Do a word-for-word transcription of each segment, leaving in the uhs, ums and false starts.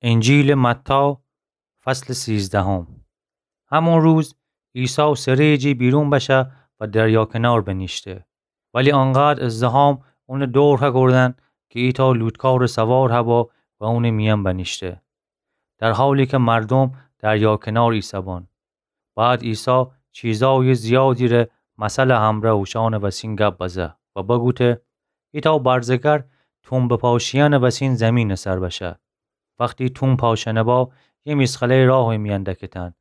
انجیلٚ متی، فصلٚ سیزدهم. همون روز عیسی سرٚ جی بیرون بشه و دریا کنار بنیشته. ولی آنقدر ازدحام اونٚ دور هکردن کی ایتأ لوطکارٚ سوار هبا و اونٚ میأن بنیشته، در حالی کی مردوم دریا کنار ایسه‌بان. بعد عیسی چیزأیٚ زیادی ره مثلٚ همرأ اوشأنٚ وسین گب بزه و بگوته: ایتأ برزگر توم بپاشیأنٚ وسین زیمینٚ سر بشه. وختی توم پاشأنه با، یه میسخله‌ی راهٚ میأن دکتن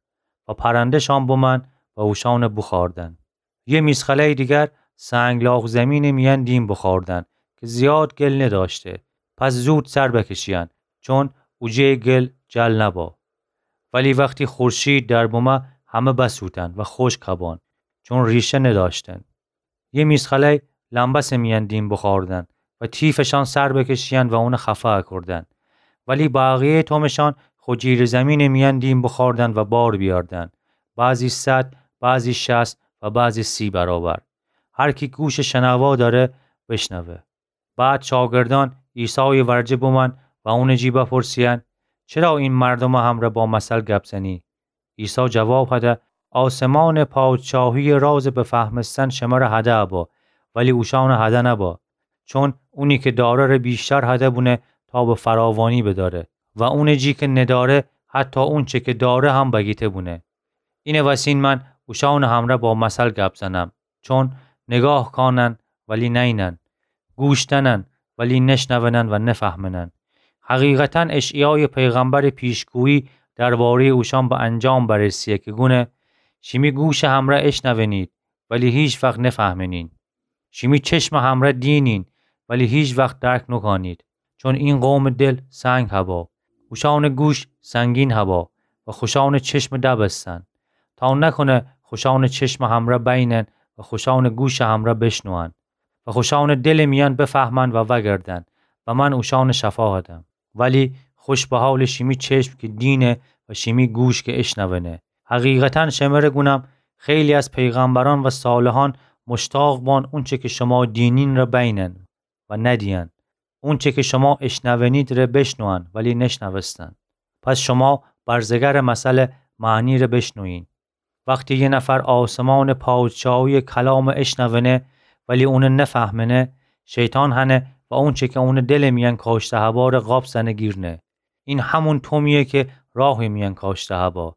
و پرنده‌شان بومأن و اوشأنٚ بوخوردن. یه میسخله‌ی دیگر سنگلاخ زیمینٚ میأن دیم بوخوردن کی زیاد گل ندأشته، پس زود سر بکشیأن، چون اوجه گل جل نبا. ولی وختی خورشید در بومه، همه بسوتن و خوشک هبان، چون ریشه ندأشتن. یه میسخله‌ی لمبسٚ میأن دیم بوخوردن و تیفشان سر بکشیأن و اون خفه کردن. ولی بقیه‌یٚ تومشان خو جیرٚ زیمینٚ میأن دیم بوخوردن و بار بیأردن، بعضی صد، بعضی شصت و بعضی سی برابر. هر کی گوشٚ شنوا دأره، بشنوه. بعد شاگردأن عیسایٚ ورجه بومأن و اونٚ جی بپرسیأن: چرا این مردومٚ همرأ با مثل گب زنی؟ عیسی جواب هده: آسمانٚ پادشاهی‌یٚ رازٚ بفهمستن شمره هده با، ولی اوشأنٚ هده نبا. چون اونی کی دأره ره ویشتر هده بونه تا به فراوانی بدأره و اونٚ جی کی ندأره، حتی اونچه کی دأره هم بگیته بونه. اینٚ وسین من اوشأنٚ همرأ با مثل گب زنم، چون نگاه کانن ولی نینن، گوش دنن ولی نشنونن و نفهمنن. حقیقتاً اشعیایٚ پیغمبرٚ پیشگویی درباره‌یٚ اوشأن به انجام برسه کی گونه: شیمی گوشٚ همرأ اشنونید ولی هیچ وخت نفهمنین. شیمی چشمٚ همرأ دینین ولی هیچ وخت درک نوکانید. چون این قومٚ دل سنگ هبا، اوشأنٚ گوش سنگین هبا و خوشأنٚ چشم دبستن، تا نوکونه خوشأنٚ چشمٚ همرأ بینن و خوشأنٚ گوشٚ همرأ بشنوئن و خوشأنٚ دلٚ میأن بفهمن و وأگردن و من اوشأنٚ شفا هدم. ولی خوش به حالٚ شیمی چشم کی دینه و شیمی گوش کی اشنونه. حقیقتاً شمره گونم، خیلی از پیغمبرأن و صالحأن مشتاق بان اونچه کی شما دینین ره بینن و ندیئن، اونچه کی شما اشنونید ره بشنوئن ولی نشنوستن. پس شما برزگرٚ مثلٚ معنی ره بشنوئین. وختی یه نفر آسمانٚ پادشاهی‌یٚ کلام اشنونه ولی اون نفهمنه، شیطان هنه و اونچه کی اونٚ دلٚ میأن کاشته هبا ره قاپ زنه گیرنه. این همون تومییه کی راهٚ میأن کاشته هبا.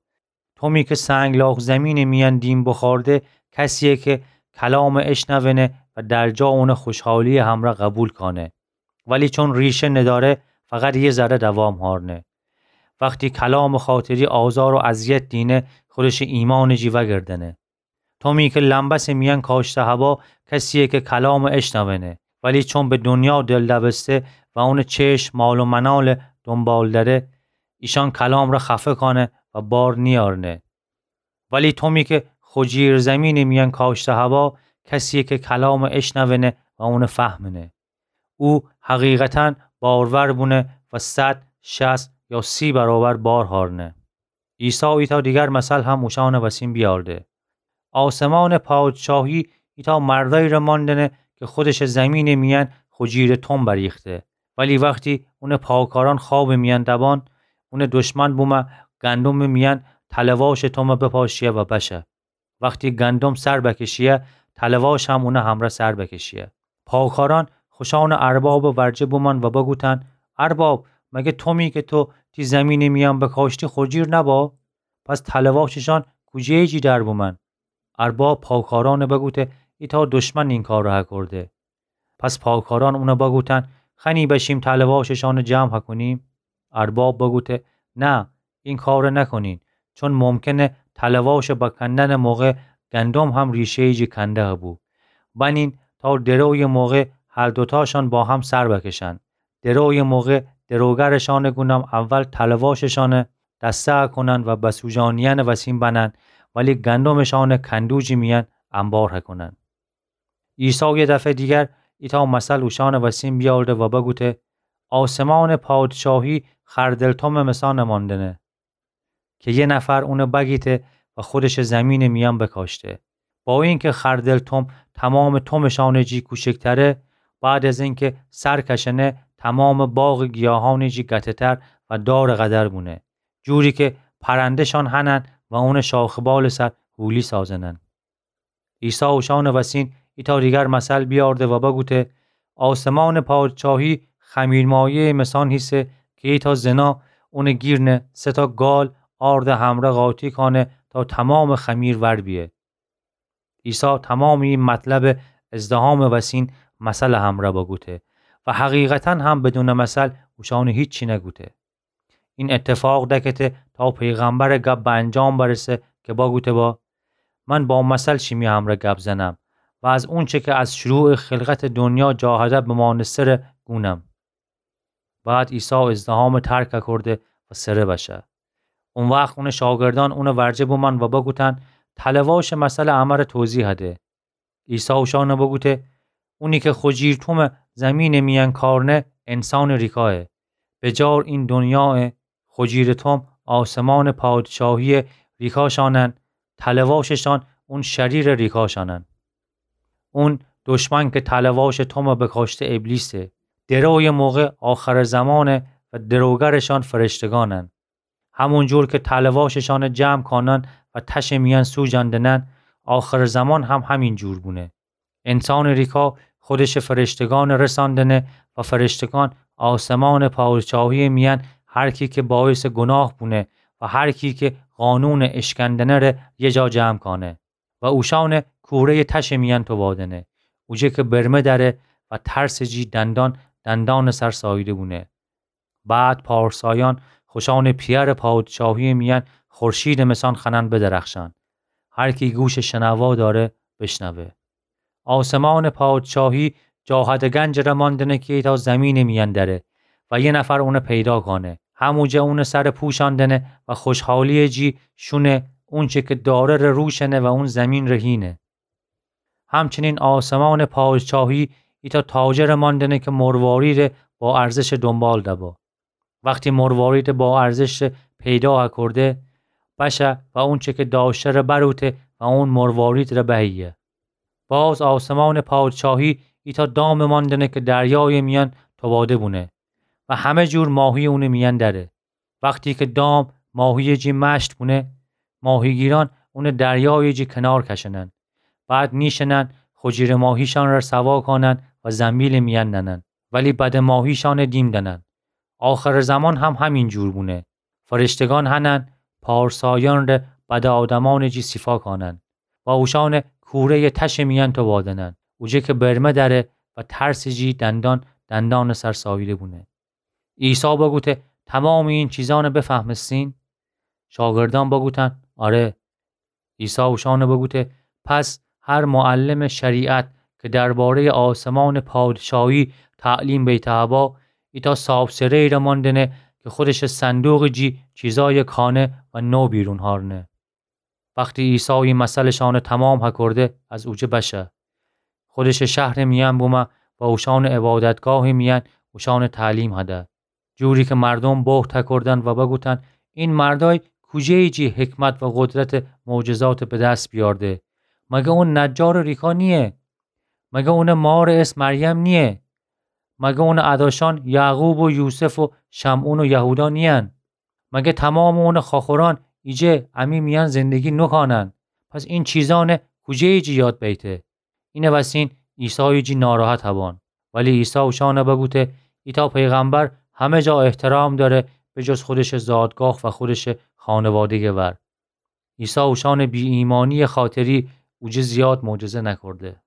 تومی کی سنگلاخ زیمینٚ میأن دیم بوخورده، کسییه کی کلام اشنونه و در جا اون خوشحالییٚ همرأ قبول کانه. ولی چون ریشه ندأره، فقط یه ذره دوام هأرنه. وختی کلامٚ خاطری آزار و اذیت دینه، خودشٚ ایمانٚ جی وأگردنه. تومی کی لمبسٚ میأن کاشته هبا، کسییه کی کلام اشنونه، ولی چون به دونیا دل دبسته و اونٚ چشم مال و منالٚ دونبال دأره، ایشأن کلام ره خفه کانه و بار نیأرنه. ولی تومی کی خو جیر زیمینٚ میأن کاشته هبا، کسییه کی کلام اشنونه و اون فهمنه. او حقیقتاً بارور بونه و صد، شصت یا سی برابر بار هأرنه. عیسی ایتأ دیگر مثل هم اوشأنٚ وسین بیأرده. آسمانٚ پادشاهی ایتأ مردأیی ره ماندنه کی خودشٚ زیمینٚ میأن خو جیرٚ توم بریخته. ولی وختی اونٚ پاکارأن خوابٚ میأن دبان، اونٚ دشمن بومه گندمٚ میأن تله‌واشٚ توم بپاشیه و بشه. وختی گندم سر بکشیه، تله‌واش هم اونٚ همرأ سر بکشیه. پاکارأن خوشأنٚ اربابٚ ورجه بومأن و بگوتأن: ارباب، مگر تومی کی تو تی زیمینٚ میأن بکاشتی خو جیر نبا؟ پس تله‌واشٚشأن کوجه‌یٚ جی در بومأن؟ ارباب پاکارأن بگوته: ایتأ دشمن این کار هکرده. پس پاکارأن اون بگوتأن: خوأنی بشیم تله‌واشٚشأن جمع هکونیم؟ ارباب بگوته: نه، این کار نکونین، چون ممکنه تله‌واشٚ بکندنٚ موقع گندم هم ریشه‌یٚ جی کنده هبو. بنین تا درویٚ موقع هر دوتاشأن با هم سر بکشن. درویٚ موقع دروگرٚشأنٚ گونم اول تله‌واشٚشأن دسته هکونن و بسوجانیأنٚ وسین بنن، ولی گندمٚشأن کندوجٚ میأن انبار هکونن. عیسی یه دفعه دیگر ایتأ مثل اوشأنٚ وسین بیأورده و بگوته: آسمانٚ پادشاهی خردل تومٚ مثأن ماندنه کی یه نفر اون بگیته و خودشٚ زیمینٚ میأن بکاشته. با اینکی خردل توم تومامٚ تومٚشأنٚ جی کوچکتره، بعد از اینکی سر کشنه، تومامٚ باغٚ گیاهأنٚ جی گته‌تر و دارٚ قدر بونه، جوری که پرنده‌شان هنن و اونٚ شاخ و بالٚ سر هولی سازنن. عیسی اوشانٚ وسین ایتأ دیگر مثل بیارده و بگوته: آسمانٚ پادشاهی خمیرمایه‌یٚ مسان هیسه که ایتأ زنا اونٚ گیر نه سه‌تأ گال آردٚ همره قاطی کانه تا تومامٚ خمیر ور بیه. عیسی تومامٚ ای مطلبٚ ازدحامٚ وسین مثلٚ همره بگوته و حقیقتاً هم بدونٚ مثل اوشانٚ هیچی نگوته. این اتفاق دکته تا پیغمبرٚ گب به انجام برسه که بگوته با: من با مثل شیمی همره گب زنم و از اونچه که از شروعٚ خلقتٚ دنیا جا هده بمانستره گونم. بعد عیسی ازدحامٚ ترک کرده و سره بشه. او وخت اونٚ شاگردأن اونٚ ورجه بومأن و بگوتأن: تله‌واشٚ مثلٚ امره توضیح هده. عیسی اوشأنٚ بگوته: اونی که خجیر تومٚ زیمینٚ میأن کارنه، انسانٚ ریکایه. بجار این دنیایه، خجیرٚ توم آسمانٚ پادشاهییٚ ریکاشانن، تله‌واششان اون شریرٚ ریکاشانن. اون دشمن که تله‌واشٚ تومٚ بکاشته ابلیسه. درویٚ موقع آخرٚ زمانه و دروگرشان فرشتگانن. همون جور که تله‌واششانٚ جمع کانن و تشٚ میأن سوجندنن، آخرٚ زمان هم همین جور بونه. انسانٚ ریکا خودشٚ فرشتگانٚ رساندنه و فرشتگان آسمانٚ پادشاهییٚ میأن هر کی که باعثٚ گناه بونه و هر کی که قانونٚ اشکندنه ره یه جا جمع کانه و اوشانٚ کوره‌یٚ تشٚ میأن توبادنه، اوجه که برمه دره و ترسٚ جی دندان دندانٚ سر ساییده بونه. بعد پارسایأن خوشانٚ پیأرٚ پادشاهییٚ میأن خورشیدٚ مسان خوأنن بدرخشأن. هر کی گوشٚ شنوا دأره، بشنوه. آسمانٚ پادشاهی جا هده گنجٚ ره ماندنه کی تا زیمینٚ میأن دره و یه نفر اونه پیدا کانه. هموجه اونٚ سر پوشاندنه و خوشحالییٚ جی شونه اونچه که داره ره روشنه و اون زیمین ره هینه. همچنین آسمانٚ پادشاهی ایتأ تاجرٚ ماندنه که مرواریدٚ با ارزشٚ دونبال دبه. وختی مرواریدٚ با ارزشٚ پیدا کرده، بشه و اونچه که داشته ره بروته و اون مروارید ره بهیه. باز آسمانٚ پادشاهی ایتأ دامٚ ماندنه که دریایٚ میأن توباده بونه و همه جور ماهی اونٚ میأن دره. وختی که دام ماهییٚ جی مشت بونه، ماهیگیرأن اونٚ دریایٚ جی کنار کشنن. بعد نیشنن، خجیرٚ ماهیشأن ره سوا کانن و زنبیلٚ میأن ننن، ولی بدٚ ماهیشأنٚ دیم دنن. آخرٚ زمان هم همین جور بونه. فرشتگان هنن پارسایأن ره بدٚ آدمأنٚ جی صیفا کانن و اوشأنٚ کوره‌یٚ تشٚ میأن توبادنن، اوجه که برمه دره و ترسٚ جی دندان دندانٚ سر ساییده بونه. عیسی بگوته: تومامٚ این چیزأنٚ بفهمستین؟ شاگردأن بگوتن: آره. عیسی اوشأنٚ بگوته: پس هر معلمٚ شریعت که درباره‌یٚ آسمانٚ پادشاهی تعلیم بیته با، ایتأ صابسره‌یٚ ره ماندنه که خودشٚ صندوقٚ جی چیزأیٚ کانه و نو بیرون هارنه. وختی عیسی ای مثلٚ شأنٚ تومام هکرده، از اوجه بشه. خودشٚ شهرٚ میأن بومه و اوشأنٚ عبادتگاهٚ میأن اوشأنٚ تعلیم هده. جوری که مردوم بهت هکردن و بگوتن: این مردأی کوجه‌یٚ جی حکمت و قدرتٚ معجزات به دس بیأرده؟ مگه اون نجارٚ ریکا نییه؟ مگه اونٚ مارٚ اسم مریم نییه؟ مگه اونٚ اداشأن یعقوب و یوسف و شمعون و یهودا نیین؟ مگه تومامٚ اونٚ خواخورأن ایجه امی میأن زندگی نوکانن؟ پس این چیزأنٚ کوجه‌یٚ جی یاد بیته؟ اینٚ وسین عیسایٚ جی ناراحت هبأن. ولی عیسی اوشأنٚ بگوته: ایتأ پیغمبر همه جا احترام دأره، به جز خودشٚ زادگاه و خودشٚ خانواده‌یٚ ور. عیسی اوشأنٚ بی‌ایمأنییٚ خاطری اوجه زیاد معجزه نکرده.